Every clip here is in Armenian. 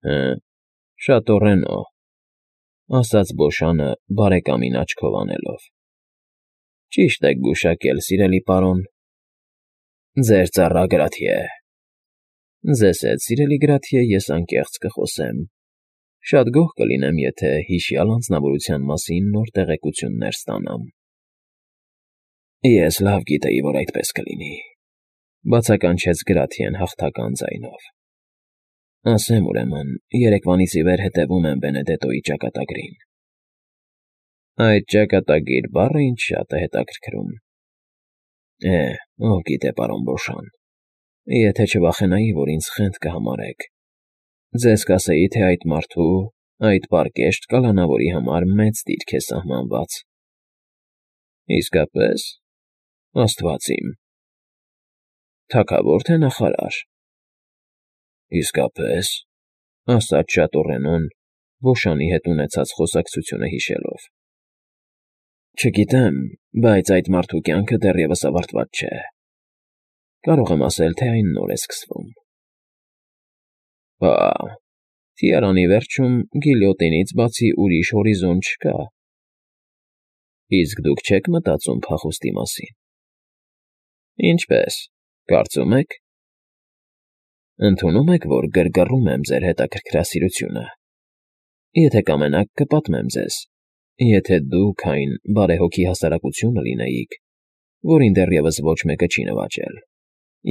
Հը, շատորենո, ասաց Բոշանը բարեկամին աչքով անելով։ Ճիշտ եք գուշակել, սիրելի պարոն։ Ձեր ծառա Գրաթիե։ Ձեզ հետ, սիրելի Գրաթիե, ես անկեղծ կխոսեմ։ Շատ գոհ կլինեմ, եթե հիշյալ անձնավորության մասին նոր տեղեկություններ ստանամ։ Ես լավ գիտեի, որ այդպես կլինի, բացականչեց Գրաթիեն հաղթական ձայնով։ Ասեմ ուրեմն, երեկվանից ի վեր հետևում եմ Բենեդետոյի ճակատագրին։ Այդ ճակատագիր բառը ինձ շատ է հետաքրքրում։ Ով գիտե, պարոն Բոշան, եթե չվախենայի, որ ինձ խենթ կհամարեք, ձեզ կասեի, թե այդ մարդու, այդ պարկեշտ կալանավորի համար մեծ դիրք է սահմանված։ Իսկապես, Աստված իմ։ Թագավոր թե նախարար։ Իսկապես, ասաց շատորենոն, Բոշանի հետ ունեցած խոսակցությունը հիշելով։ Չգիտեմ, բայց այդ մարդու կյանքը դեռևս ավարտված չէ։ Կարող եմ ասել, թե այն նոր է սկսվում։ Թիարանի վերջում գիլյոտինից բացի ուրիշ հորիզոն չկա։ Իսկ դուք չեք մտածում փախուստի մասին։ Ինչպես, կարծում եք։ Ընդունում եք, որ գրգռում եմ ձեր հետաքրքրասիրությունը։ Եթե կամենաք, կպատմեմ ձեզ, եթե դուք այն բարեհոգի հասարակությունը լինեիք, որին դեռևս ոչ մեկը չի նվաճել,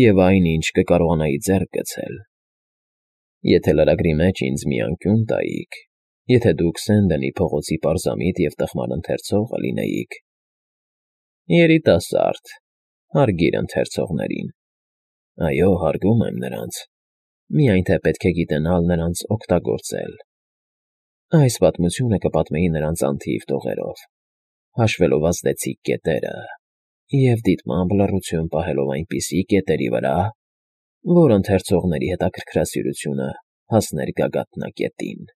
և այն, ինչ կկարողանայի ձեռք գցել։ Եթե լրագրի մեջ ինձ մի անկյուն տայիք, եթե դուք Սենդենի փողոցի պարզամիտ և տխմար ընթերցողը լինեիք։ Երիտասարդ, հարգիր ընթերցողներին։ Այո, հարգում եմ նրանց, միայն թե պետք է գիտենալ նրանց օգտագործել։ Այս պատմությունը կպատմեի նրանց անթիվ տողերով, հաշվելով ազդեցիկ կետերը և դիտմամբ լռություն պահելով այնպիսի կետերի վրա, որ ընթերցողների հետաքրքրասիրությունը հասներ գագաթնակետին։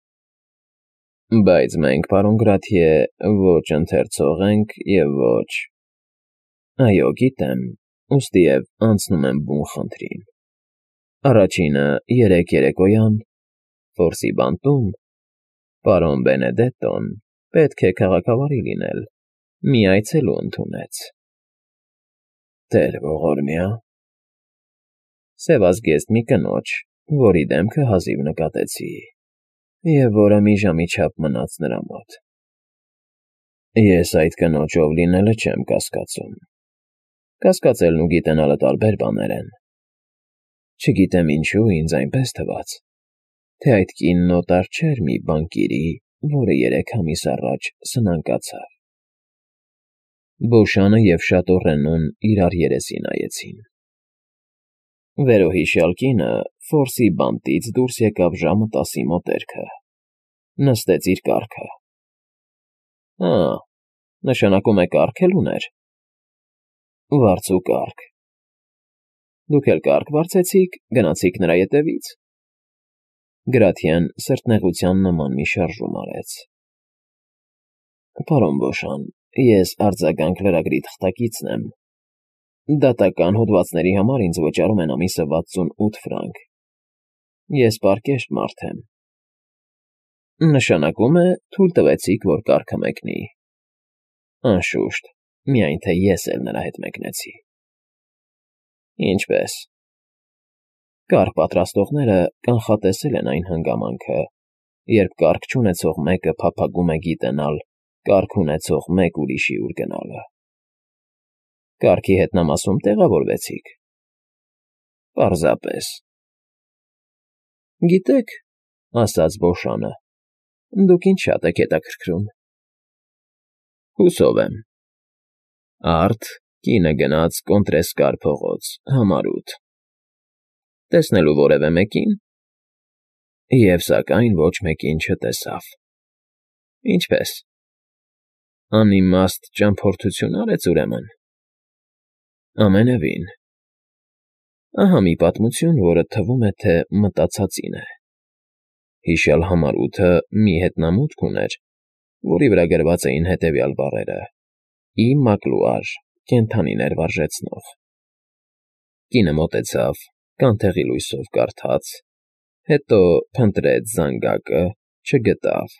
Բայց մենք, պարոն Գրաթիե, ոչ ընթերցող ենք և ոչ… Այո, գիտեմ, ուստիև անցնում եմ բուն խնդրին։ Առաջինը երեկ երեկոյան, Ֆորսի բանտում, պարոն Բենեդետոն, պետք է քաղաքավարի լինել, մի այցելու ընդունեց։ Տեր ողորմյա։ Սևազգեստ մի կնոջ, որի դեմքը հազիվ նկատեցի, և որը մի ժամի չափ մնաց նրա մոտ։ Ես այդ կնոջով լինելը չեմ կասկածում։ Կասկածելն ու գիտենալը տարբեր բաներ են։ Չգիտեմ ինչու ինձ այնպես թվաց, թե այդ կինն օտար չէր մի բանկիրի, որը 3 ամիս առաջ սնանկացավ։ Բոշանը և շատորենուն իրար երեսի նայեցին։ Վերոհիշյալ կինը Ֆորսի բանտից դուրս եկավ ժամը 10-ի մոտերքը, նստեց իր կառքը։ Նշանակում է կառք էլ ուներ։ Վարձու կառք։ Դուք էլ կառք վարձեցիք, գնացիք նրա ետևից։ Գրաթիան սրտնեղության նման մի շարժում արեց։ Պարոն Բոշան, ես արձագանք լրագրի թղթակիցն եմ։ Դատական հոդվածների համար ինձ վճարում են ամիսը 68 ֆրանկ։ Ես պարկեշտ մարդ եմ։ Նշանակում է, թույլ տվեցիք, որ կառքը մեկնի։ Անշուշտ, միայն թե ես էլ նրա հետ մեկնեցի։ Ինչպես։ Կառք պատրաստողները կանխատեսել են այն հանգամանքը, երբ կառք չունեցող մեկը փափագում է գիտենալ կառք ունեցող մեկ ուրիշի ուր գնալը։ Կառքի հետնամասում տեղավորվեցիք։ Պարզապես։ Գիտեք, ասաց Բոշանը, դուք ինձ շատ եք հետաքրքրում։ Հուսով եմ։ Արդ կինը գնաց Կոնտրեսկար փողոց, համար 8։ Տեսնելու որևէ մեկին։ Եվ սակայն ոչ մեկին չտեսավ։ Ինչպես։ Անիմաստ ճամփորդություն արեց ուրեմն։ Ամենևին։ Ահա մի պատմություն, որը թվում է, թե մտածածին է։ Հիշյալ համար 8-ը մի հետնամուտք ուներ, որի վրա գրված էին հետևյալ բառերը. «Ի Մակլուար, կենդանիներ վարժեցնող»։ Կինը մոտեցավ, կանթեղի լույսով կարդաց, Հետո փնտրեց զանգակը, չգտավ։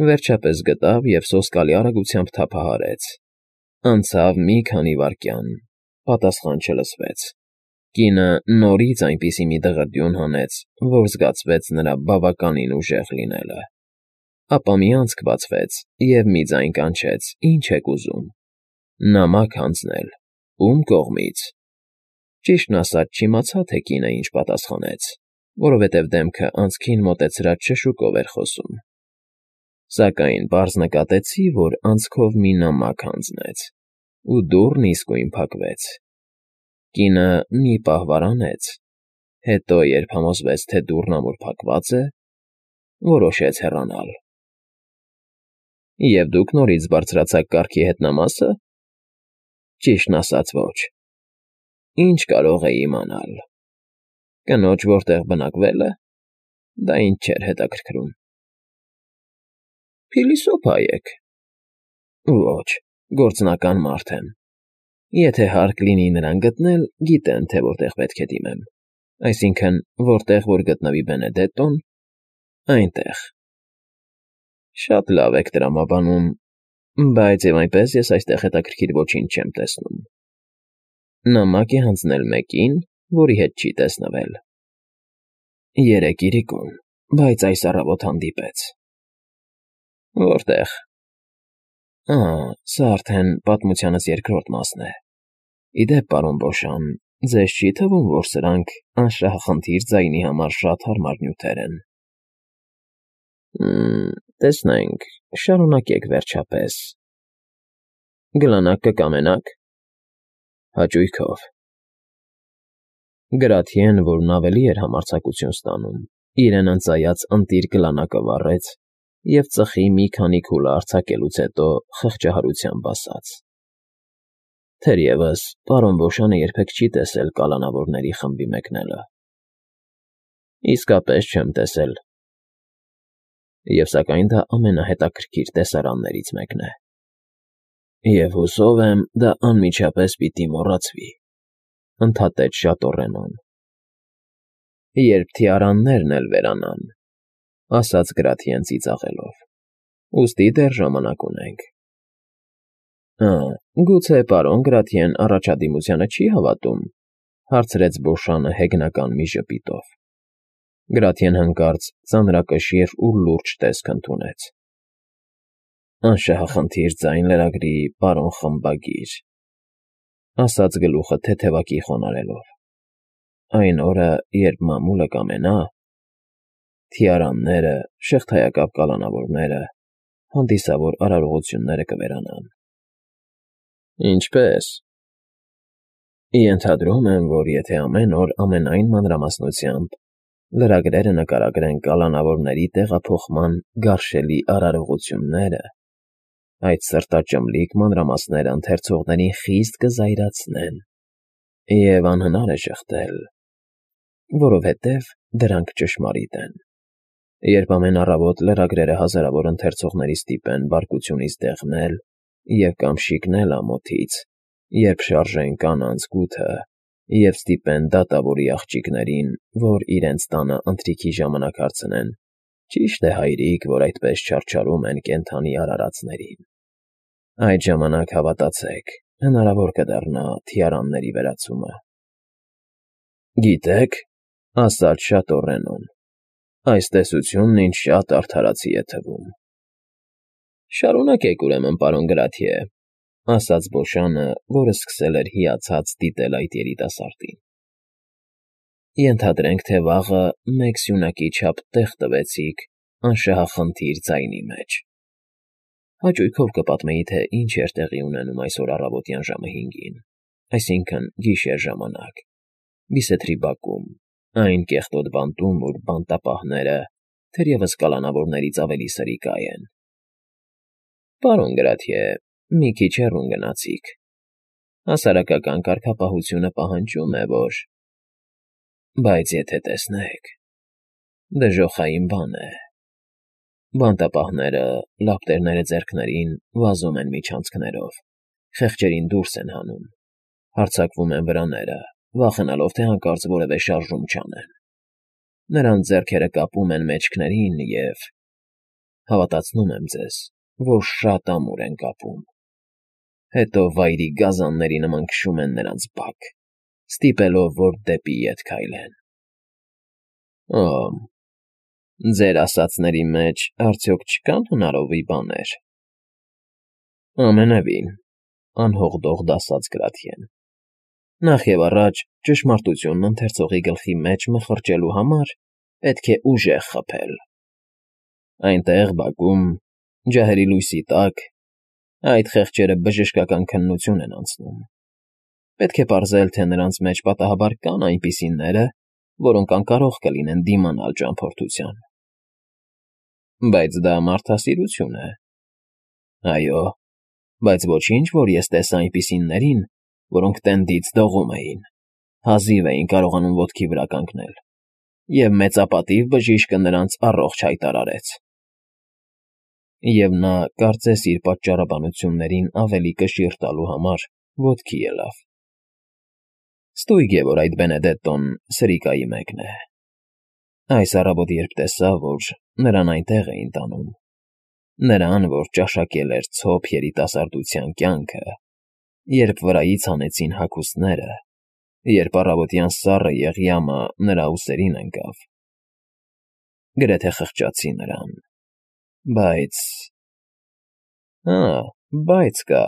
Վերջապես գտավ և սոսկալի արագությամբ թափահարեց։ Անցավ մի քանի վայրկյան, պատասխան չլսվեց։ Կինը նորից այնպիսի մի դղրդյուն հանեց, որ զգացվեց նրա բավականին ուժեղ լինելը։ Ապա մի անցք բացվեց, և մի ձայն կանչեց. «Ի՞նչ եք ուզում»։ Նամակ հանձնել։ Ո՞ւմ կողմից։ Ճիշտն ասած, չիմացա, թե կինը ինչ պատասխանեց, որովհետև դեմքը անցքին մոտեցրած շշուկով էր խոսում։ Սակայն պարզ նկատեցի, որ անցքով մի նամակ հանձնեց, ու դուռն իսկույն փակվեց։ Կինը մի պահ վարանեց, հետո, երբ համոզվեց, թե դուռն ամուր փակված է, որոշեց հեռանալ։ Եվ դուք նորից բարձրացաք կառքի հետնամասը։ Ճիշտն ասած, ոչ։ Ինչ կարող էի իմանալ։ Կնոջ որտեղ բնակվել է, դա ինձ չէր հետաքրքրում։ Փիլիսոփա եք։ Ոչ, գործնական մարդ եմ։ Եթե հարկ լինի նրան գտնել, գիտեն, թե որտեղ պետք է դիմեմ։ Այսինքն, որտեղ որ գտնվի Բենեդետտոն, այնտեղ։ Շատ լավ եք տրամաբանում, բայց և այնպես ես այստեղ հետաքրքիր ոչինչ չեմ տեսնում։ Նամակ է հանձնել մեկին, որի հետ չի տեսնվել։ Երեկ իրիկուն, բայց այս առավոտ հանդիպեց։ Որտեղ։ Սա արդեն պատմությանս երկրորդ մասն է։ Ի դեպ, պարոն Բոշան, ձեզ չի թվում, որ սրանք անշահախնդիր ձայնի համար շատ հարմար նյութեր են։ Տեսնենք, շարունակեք վերջապես։ Գլանակ կկամենաք։ Հաճույքով։ Գրաթիեն, որն ավելի էր համարձակություն ստանում, իրեն ընծայած ընտիր գլանակը վառեց և ծխի մի քանի քուլը արձակելուց հետո խղճահարությամբ ասաց. Թերևս, պարոն Բոշանը երբեք չի տեսել կալանավորների խմբի մեկնելը։ Իսկապես չեմ տեսել։ Եվ սակայն դա ամենահետաքրքիր տեսարաններից մեկն է։ Եվ հուսով եմ, դա անմիջապես պիտի մոռացվի, ընդհատեց Շատորենոն։ Երբ թիարաններն էլ վերանան, ասաց Գրաթիեն ծիծաղելով, ուստի դեռ ժամանակ ունենք։ Գուցե պարոն Գրաթիեն առաջադիմությանը չի հավատում, հարցրեց Բոշանը հեգնական մի ժպիտով։ Գրաթիեն հանկարծ ծանրակշիռ ու լուրջ տեսք ընդունեց։ Անշահախնդիր ձայն լրագրի պարոն խմբագիր, ասաց գլուխը թեթևակի խոնարհելով։ Այն օրը, երբ մամուլը կամենա, թիարանները, շղթայակապ կալանավորները, հանդիսավոր արարողությունները կվերանան։ Ինչպե՞ս։ Ենթադրում եմ, որ եթե ամեն օր ամենայն մանրամասնությամբ լրագրերը նկարագրեն կալանավորների տեղափոխման գարշելի արարողությունները, այդ սրտաճմլիկ մանրամասները ընթերցողներին խիստ կզայրացնեն, և անհնար է շղթել, որովհետև դրանք ճշմարիտ են։ Երբ ամեն առավոտ լրագրերը հազարավոր ընթերցողների ստիպեն բարկությունից դեղնել և կամ շիկնել ամոթից, երբ շարժեն կանանց գութը և ստիպեն դատավորի աղջիկներին, որ իրենց տանը ընթրիքի ժամանակ հարցնեն, ճի՞շտ է, հայրիկ, որ այդպես չարչարում են կենդանի արարածներին։ Այդ ժամանակ, հավատացեք, հնարավոր կդառնա թիարանների վերացումը։ Գիտեք, ասաց Շատորենոն, այս տեսությունն ինձ շատ արդարացի է թվում։ Շարունակեք, ուրեմն, պարոն Գրաթիե, ասաց Բոշանը, որը սկսել էր հիացած դիտել այդ երիտասարդին։ Ենթադրենք, թե վաղը մեկ սյունակի չափ տեղ տվեցիք անշահախնդիր ձայնի մեջ։ Հաճույքով կպատմեի, թե ինչ էր տեղի ունենում այսօր առավոտյան ժամը 5-ին, այսինքն գիշեր ժամանակ, Բիսեթրի բակում, այն կեղտոտ բանտում, որ բանտապահները թերևս կալանավորներից ավելի սրիկայ են։ Պարոն Գրաթիե, մի քիչ հեռուն գնացիք։ Հասարակական կարգապահությունը պահանջում է, որ… Բայց եթե տեսնեք, դժոխային բան է։ Բանտապահները, լապտերները ձեռքներին, վազում են միջանցքներով, խեղճերին դուրս են հանում, հարձակվում են վրաները, վախենալով, թե հանկարծ որևէ շարժում չանեն։ նրանց ձեռքերը կապում են մեջքներին և… Հավատացնում եմ ձեզ, որ շատ ամուր են կապում, հետո վայրի գազանների նման քշում են նրանց բակ, ստիպելով, որ դեպի ետ քայլեն։ Օ՜, ձեր ասածների մեջ արդյոք չկան հնարովի բաներ։ Ամենևին, անհողդողդ ասաց Գրաթիեն։ Նախ և առաջ ճշմարտությունն ընթերցողի գլխի մեջ մխրճելու համար պետք է ուժեղ խփել։ Այնտեղ, բակում, ջահերի լույսի տակ, այդ խեղճերը բժշկական քննություն են անցնում։ Պետք է պարզել, թե նրանց մեջ պատահաբար կան այնպիսիները, որոնք անկարող կլինեն դիմանալ ճամփորդության։ Բայց դա մարդասիրություն է։ Այո, բայց ոչինչ, որ ես տեսա այնպիսիներին, որոնք տենդից դողում էին, հազիվ էին կարողանում ոտքի վրա կանգնել, և մեծապատիվ բժիշկը նրանց առողջ հայտարարեց։ Եվ նա, կարծես իր պատճառաբանություններին ավելի կշիռ տալու համար, ոտքի ելավ։ Ստույգ է, որ այդ Բենեդետտոն սրիկայի մեկն է։ Այս առավոտ երբ տեսա, որ նրան այնտեղ էին տանում, նրան, որ ճաշակել էր ցոփ երիտասարդության կյանքը, երբ վրայից հանեցին հագուստները, երբ առավոտյան սառը Եղյամը նրա ուսերին ընկավ, գրեթե խղճացի նրան, բայց… Հա, բայց կա։